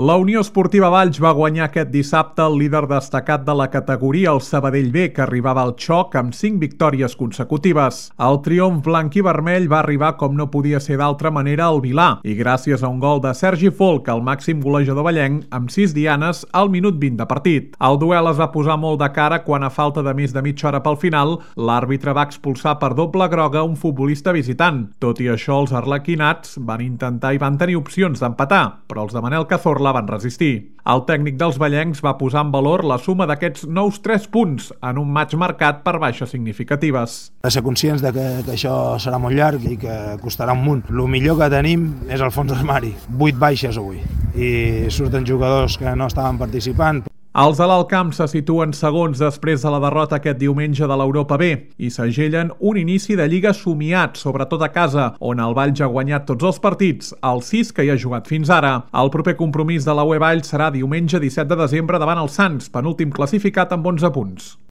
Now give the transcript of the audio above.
La Unió Esportiva Valls va guanyar aquest dissabte el líder destacat de la categoria, el Sabadell B, que arribava al xoc amb 5 victòries consecutives. El triomf blanc i vermell va arribar com no podia ser d'altra manera al Vilà, i gràcies a un gol de Sergi Folk, el màxim golejador vallenc, amb 6 dianes al minut 20 de partit. El duel es va posar molt de cara quan, a falta de més de mitja hora pel final, l'àrbitre va expulsar per doble groga un futbolista visitant. Tot i això, els arlequinats van intentar i van tenir opcions d'empatar, però els de Manel Cazorla van resistir. El tècnic dels vallencs va posar en valor la suma d'aquests nous 3 punts en un matx marcat per baixes significatives. De ser conscients de que això serà molt llarg i que costarà un munt. El millor que tenim és el fons d'armari. 8 baixes avui i surten jugadors que no estaven participant. Els de l'Alt Camp se situen segons després de la derrota aquest diumenge de l'Europa B i s'agellen un inici de Lliga somiat, sobretot a casa, on el Valls ha guanyat tots els partits, els 6 que hi ha jugat fins ara. El proper compromís de la UE Valls serà diumenge 17 de desembre davant el Sants, penúltim classificat amb 11 punts.